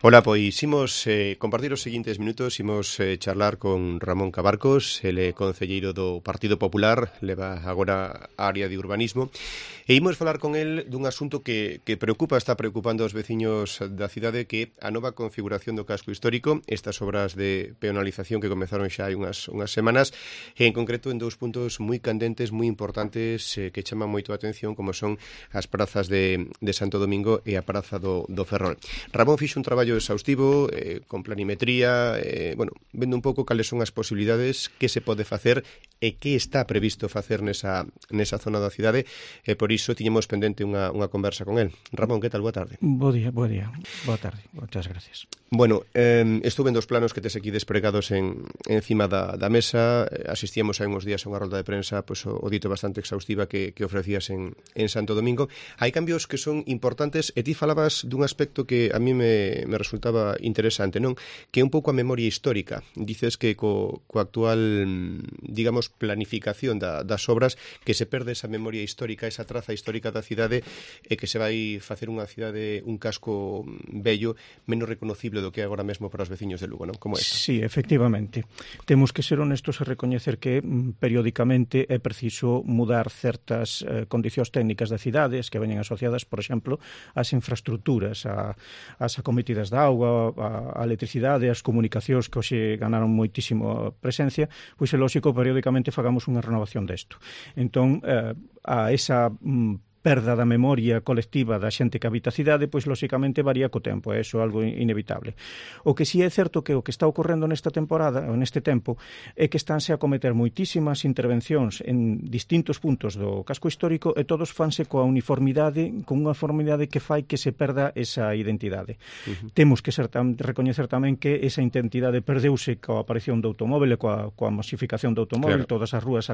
Ola, pois imos compartir os seguintes minutos, imos charlar con Ramón Cabarcos, ele é concelleiro do Partido Popular, leva agora a área de urbanismo, e imos falar con el dun asunto que está preocupando aos veciños da cidade, que a nova configuración do casco histórico, estas obras de peonalización que comezaron xa hai unhas semanas, e en concreto en dous puntos moi candentes, moi importantes, que chaman moito a atención, como son as prazas de Santo Domingo e a praza do Ferrol. Ramón fixo un traballo exhaustivo, con planimetría, vendo un pouco cales son as posibilidades, que se pode facer e que está previsto facer nesa zona da cidade, e por iso tiñemos pendente unha conversa con el. Ramón, que tal? Boa tarde. Boa tarde, moitas gracias. Bueno, estuve en dos planos que tes aquí despregados encima da mesa, asistíamos hai uns días a unha rolda de prensa, pois o dito bastante exhaustiva que ofrecías en Santo Domingo. Hai cambios que son importantes, e ti falabas dun aspecto que a mí me resultaba interesante, non? Que é un pouco a memoria histórica. Dices que co actual, digamos, planificación das obras, que se perde esa memoria histórica, esa traza histórica da cidade, e que se vai facer unha cidade, un casco bello, menos reconocible do que é agora mesmo para os veciños de Lugo, non? Como esta. Sí, efectivamente. Temos que ser honestos e recoñecer que periódicamente é preciso mudar certas condicións técnicas de cidades que veñen asociadas, por exemplo, ás infraestructuras, ás acometidas de auga, a electricidade, as comunicacións que hoxe ganaron moitísimo presencia, pois é lógico periódicamente fagamos unha renovación desto. Entón, a esa perda da memoria colectiva da xente que habita a cidade, pois lóxicamente varía co tempo, é iso algo inevitable. O que si é certo que o que está ocorrendo nesta temporada, ou neste tempo, é que estánse a cometer moitísimas intervencións en distintos puntos do casco histórico, e todos fanse coa uniformidade, con unha uniformidade que fai que se perda esa identidade. Temos que recoñecer tamén que esa identidade perdeuse coa aparición do automóvel e coa masificación do automóvel, claro. Todas as rúas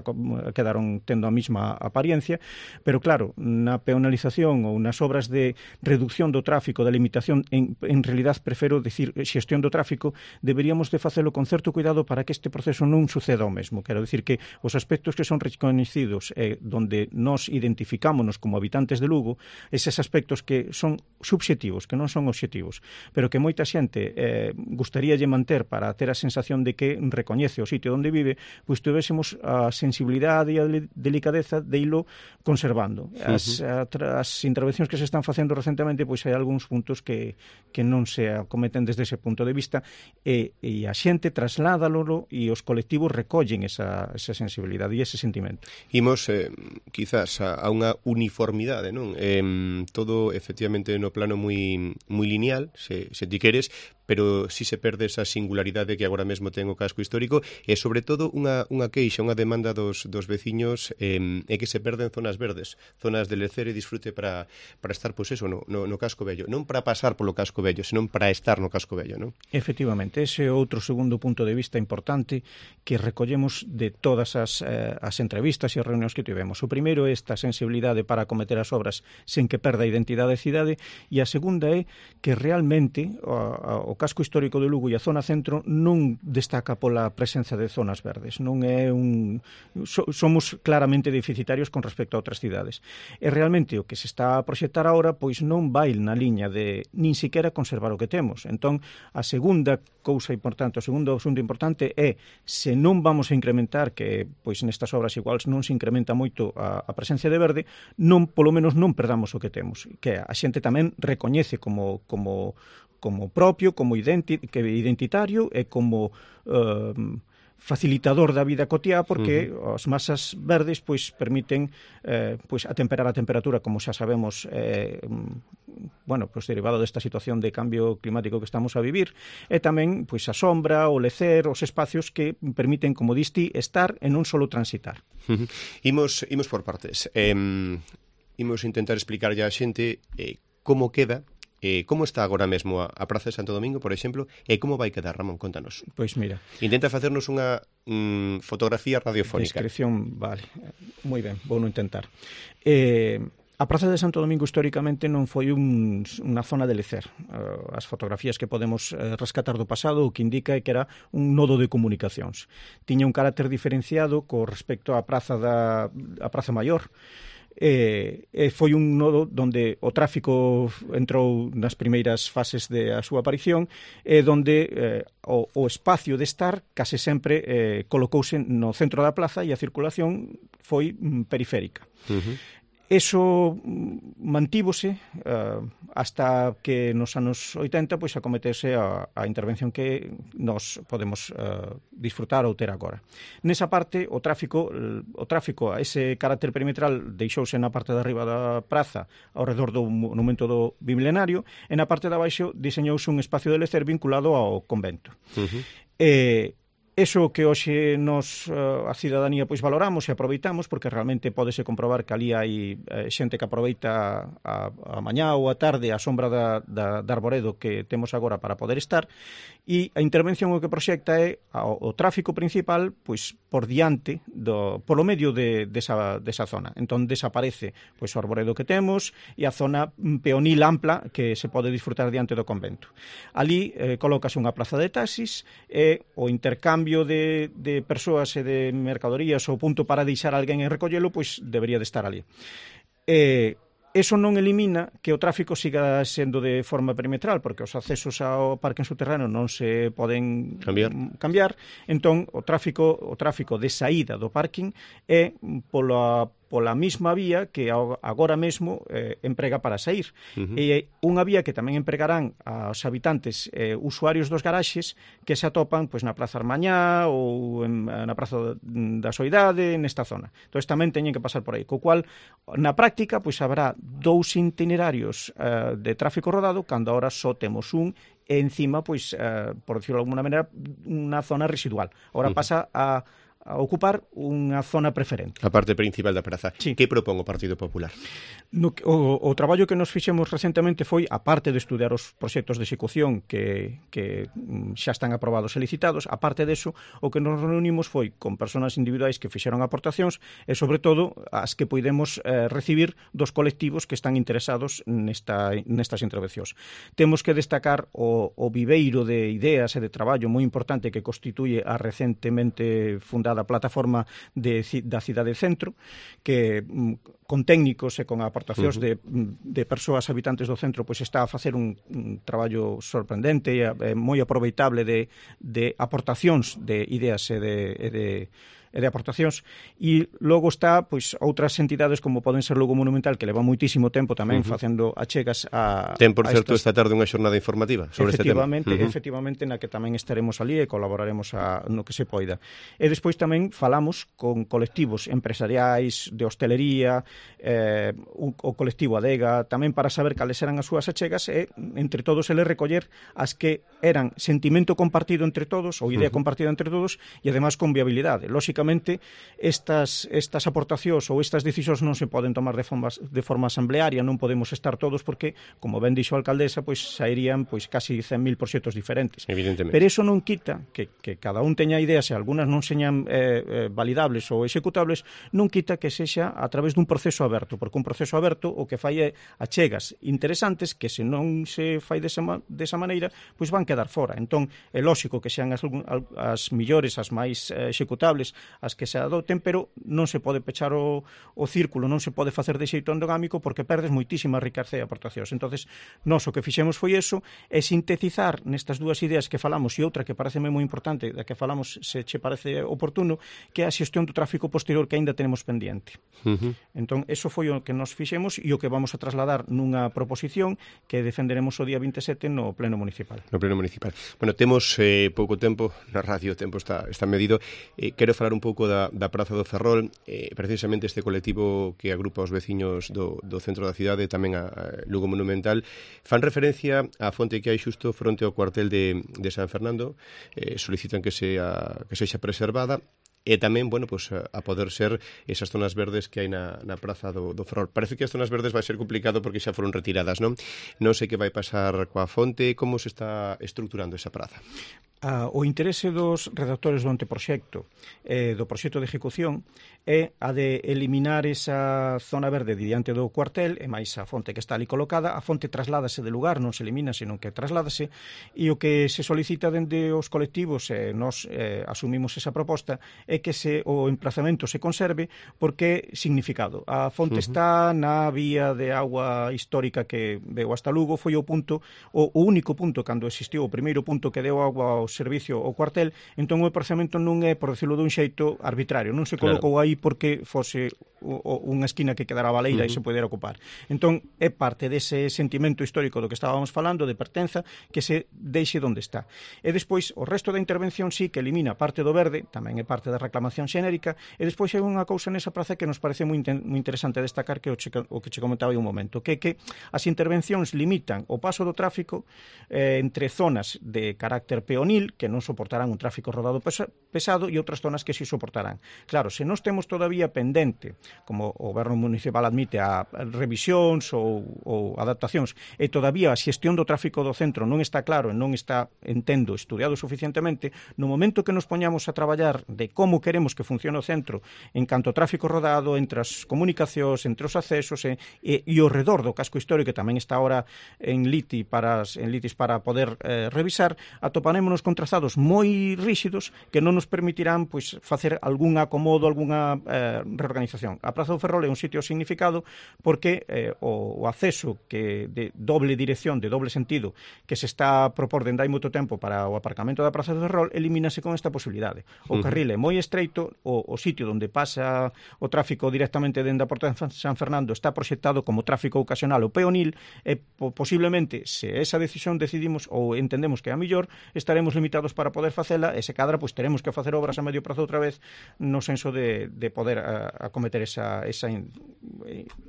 quedaron tendo a mesma apariencia, pero claro, na peonalización ou nas obras de reducción do tráfico, da limitación, en realidad prefiro decir xestión do tráfico, deberíamos de facelo con certo cuidado para que este proceso non suceda o mesmo. Quero dicir que os aspectos que son reconhecidos donde nos identificámonos como habitantes de Lugo, eses aspectos que son subxectivos, que non son obxectivos, pero que moita xente gustaríalle manter para ter a sensación de que recoñece o sitio onde vive, pois tivésemos a sensibilidade e a delicadeza de ilo conservando. As intervencións que se están facendo recentemente, pois hai algúns puntos que non se acometen desde ese punto de vista, e a xente trasládalo e os colectivos recollen esa sensibilidade e ese sentimento. Imos, quizás, a unha uniformidade, non? Todo, efectivamente, no plano moi lineal, se ti queres, pero si se perde esa singularidade que agora mesmo ten o casco histórico, e sobre todo unha queixa, unha demanda dos veciños, é que se perden zonas verdes, zonas de lecer e disfrute para estar, pois eso, no casco vello, non para pasar polo casco vello, senón para estar no casco vello, non? Efectivamente, ese é outro segundo punto de vista importante que recollemos de todas as entrevistas e as reunións que tivemos. O primeiro é esta sensibilidade para acometer as obras sen que perda a identidade da cidade, e a segunda é que realmente o casco histórico de Lugo e a zona centro non destaca pola presenza de zonas verdes, non é somos claramente deficitarios con respecto a outras cidades. E realmente o que se está a proxectar agora pois non vai na liña de nin siquiera conservar o que temos. Entón, a segunda cousa importante, o segundo asunto importante é, se non vamos a incrementar, que pois nestas obras iguais non se incrementa moito a presencia de verde, non, polo menos non perdamos o que temos, que a xente tamén recoñece como propio, como identitario e como facilitador da vida cotiá, porque as masas verdes pois permiten atemperar a temperatura, como xa sabemos, derivado desta situación de cambio climático que estamos a vivir, e tamén pois a sombra, o lecer, os espacios que permiten, como diste, estar e non só transitar. Imos por partes. Imos intentar explicarlle á xente como queda, como está agora mesmo a Praza de Santo Domingo, por exemplo, e como vai quedar, Ramón, contanos. Pois mira, intenta facernos unha fotografía radiofónica. Descripción, vale, moi ben, vou non intentar. A Praza de Santo Domingo históricamente non foi unha zona de lecer. As fotografías que podemos rescatar do pasado o que indica é que era un nodo de comunicacións. Tiña un carácter diferenciado co respecto á Praza Maior, Foi un nodo donde o tráfico entrou nas primeiras fases da súa aparición e donde o espacio de estar case sempre colocouse no centro da plaza e a circulación foi periférica. Eso mantívose hasta que nos anos 80 pois acometese a intervención que nos podemos disfrutar ou ter agora. Nesa parte, o tráfico, a ese carácter perimetral deixouse na parte de arriba da praza ao redor do monumento do Bimilenario e na parte de abaixo diseñouse un espacio de lecer vinculado ao convento. Eso que hoxe nos, a cidadanía, pois valoramos e aproveitamos, porque realmente pódese comprobar que ali hai xente que aproveita a mañá ou a tarde a sombra da arboredo que temos agora para poder estar, e a intervención o que proxecta é o tráfico principal pois por diante, polo medio desa zona. Entón desaparece pois o arboredo que temos e a zona peonil ampla que se pode disfrutar diante do convento. Ali colócase unha plaza de taxis e o intercambio de persoas e de mercadorías ou punto para deixar alguén en recollelo, pois debería de estar ali. Eso non elimina que o tráfico siga sendo de forma perimetral, porque os accesos ao parque subterráneo non se poden cambiar. Entón, o tráfico de saída do parking é pola mesma vía que agora mesmo emprega para sair. E unha vía que tamén empregarán aos habitantes usuarios dos garaxes que se atopan pois na Praza Armañá ou na Praza da Soidade, nesta zona. Entón tamén teñen que pasar por aí, co cual na práctica pois habrá dous itinerarios de tráfico rodado cando agora só temos un e encima, pois, por decirlo de alguna maneira, unha zona residual. Agora pasa a ocupar unha zona preferente. A parte principal da praza. Sí. Que propón o Partido Popular? O traballo que nos fixemos recentemente foi, a parte de estudiar os proxectos de execución que xa están aprobados e licitados, a parte deso, o que nos reunimos foi con persoas individuais que fixeron aportacións e, sobre todo, as que podemos recibir dos colectivos que están interesados nestas intervencións. Temos que destacar o viveiro de ideas e de traballo moi importante que constituye a recentemente fundada plataforma da Cidade Centro, que con técnicos e con aportacións de persoas habitantes do centro pois está a facer un traballo sorprendente e moi aproveitable de aportacións de ideas e de aportacións, e logo está pois outras entidades como poden ser Lugo Monumental, que leva moitísimo tempo tamén facendo achegas a... Ten, por certo, esta tarde unha xornada informativa sobre este tema. Efectivamente, na que tamén estaremos ali e colaboraremos no que se poida. E despois tamén falamos con colectivos empresariais de hostelería, o colectivo Adega, tamén para saber cales eran as súas achegas e, entre todos, eles recoller as que eran sentimento compartido entre todos ou idea compartida entre todos e, además, con viabilidade. Lóxicamente, estas aportacións ou estas decisións non se poden tomar de forma asamblearia, non podemos estar todos porque, como ben dixo a alcaldesa, pois sairían pois casi 100.000 proxectos diferentes. Evidentemente. Pero eso non quita que cada un teña ideas e algunhas non señan validables ou executables, non quita que sexa a través dun proceso aberto, porque un proceso aberto o que fai é achegas interesantes que se non se fai desa maneira, pois van quedar fora. Entón, é lóxico que sean as millores, as máis executables, as que se adoten, pero non se pode pechar o círculo, non se pode facer de xeito endogámico porque perdes moitísima riqueza e aportacións. Entonces, nós o que fixemos foi eso, é sintetizar nestas dúas ideas que falamos e outra que pareceme moi importante, da que falamos, se che parece oportuno, que é a xestión do tráfico posterior que aínda tenemos pendiente. Entón, eso foi o que nos fixemos e o que vamos a trasladar nunha proposición que defenderemos o día 27 no Pleno Municipal. No Pleno Municipal. Bueno, temos pouco tempo, na radio o tempo está medido. Quero falar un pouco da Praza do Ferrol, precisamente este colectivo que agrupa os veciños do centro da cidade, tamén a Lugo Monumental, fan referencia á fonte que hai xusto fronte ao cuartel de San Fernando, solicitan que sexa preservada, e tamén, bueno, pues, a poder ser esas zonas verdes que hai na Praza do Ferrol. Parece que as zonas verdes vai ser complicado porque xa foron retiradas, non? Non sei que vai pasar coa fonte, como se está estruturando esa praza. O interese dos redactores do anteproxecto do proxecto de ejecución é a de eliminar esa zona verde diante do cuartel e máis a fonte que está ali colocada. A fonte trasládase de lugar, non se elimina, senón que trasládase, e o que se solicita dende os colectivos, e nós asumimos esa proposta, é que o emplazamento se conserve porque é significado. A fonte está na vía de agua histórica que veu hasta Lugo, foi o único punto cando existiu, o primeiro punto que deu agua ao servicio ao cuartel. Entón o emplazamento non é, por decirlo dun xeito, arbitrario, non se colocou aí porque fose unha esquina que quedara baleira e se podera ocupar. Entón é parte dese sentimento histórico do que estábamos falando, de pertenza, que se deixe onde está. E despois o resto da intervención sí que elimina parte do verde, tamén é parte da reclamación xenérica, e despois hai unha cousa nesa praza que nos parece moi interesante destacar, que o que che comentaba hai un momento, que as intervencións limitan o paso do tráfico entre zonas de carácter peonil, que non soportarán un tráfico rodado pesado, e outras zonas que sí soportarán. Claro, se nós temos todavía pendente, como o goberno municipal admite, a revisións ou adaptacións, e todavía a xestión do tráfico do centro non está claro e non está, entendo, estudiado suficientemente, no momento que nos poñamos a traballar de como queremos que funcione o centro en canto ao tráfico rodado, entre as comunicacións, entre os accesos e o redor do casco histórico, que tamén está ahora en litis para poder revisar, atoparémonos con trazados moi ríxidos que non nos permitirán facer algún acomodo, algunha reorganización. A Praza do Ferrol é un sitio significado porque o acceso de doble dirección, de doble sentido, que se está propor dende hai moito tempo para o aparcamento da Praza do Ferrol, elimínase con esta posibilidade. O carril é moi estreito, o sitio onde pasa o tráfico directamente dende a Porta de San Fernando está proxectado como tráfico ocasional ou peonil, e posiblemente, se esa decisión decidimos ou entendemos que é a mellor, estaremos limitados para poder facela, e se cadra, teremos que facer obras a medio prazo outra vez, no senso de poder acometer ese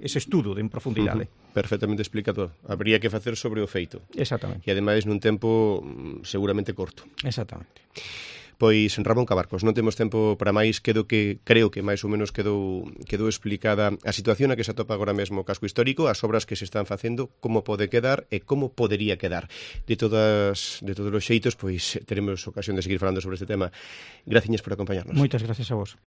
estudo en profundidade. Perfectamente explicado. Habría que facer sobre o feito. Exactamente. E ademais nun tempo seguramente corto. Exactamente. Pois, Ramón Cabarcos, non temos tempo para máis, creo que máis ou menos quedou explicada a situación a que se atopa agora mesmo o casco histórico, as obras que se están facendo, como pode quedar e como podería quedar. De todos os xeitos, pois teremos ocasión de seguir falando sobre este tema. Graciñas por acompañarnos. Moitas gracias a vos.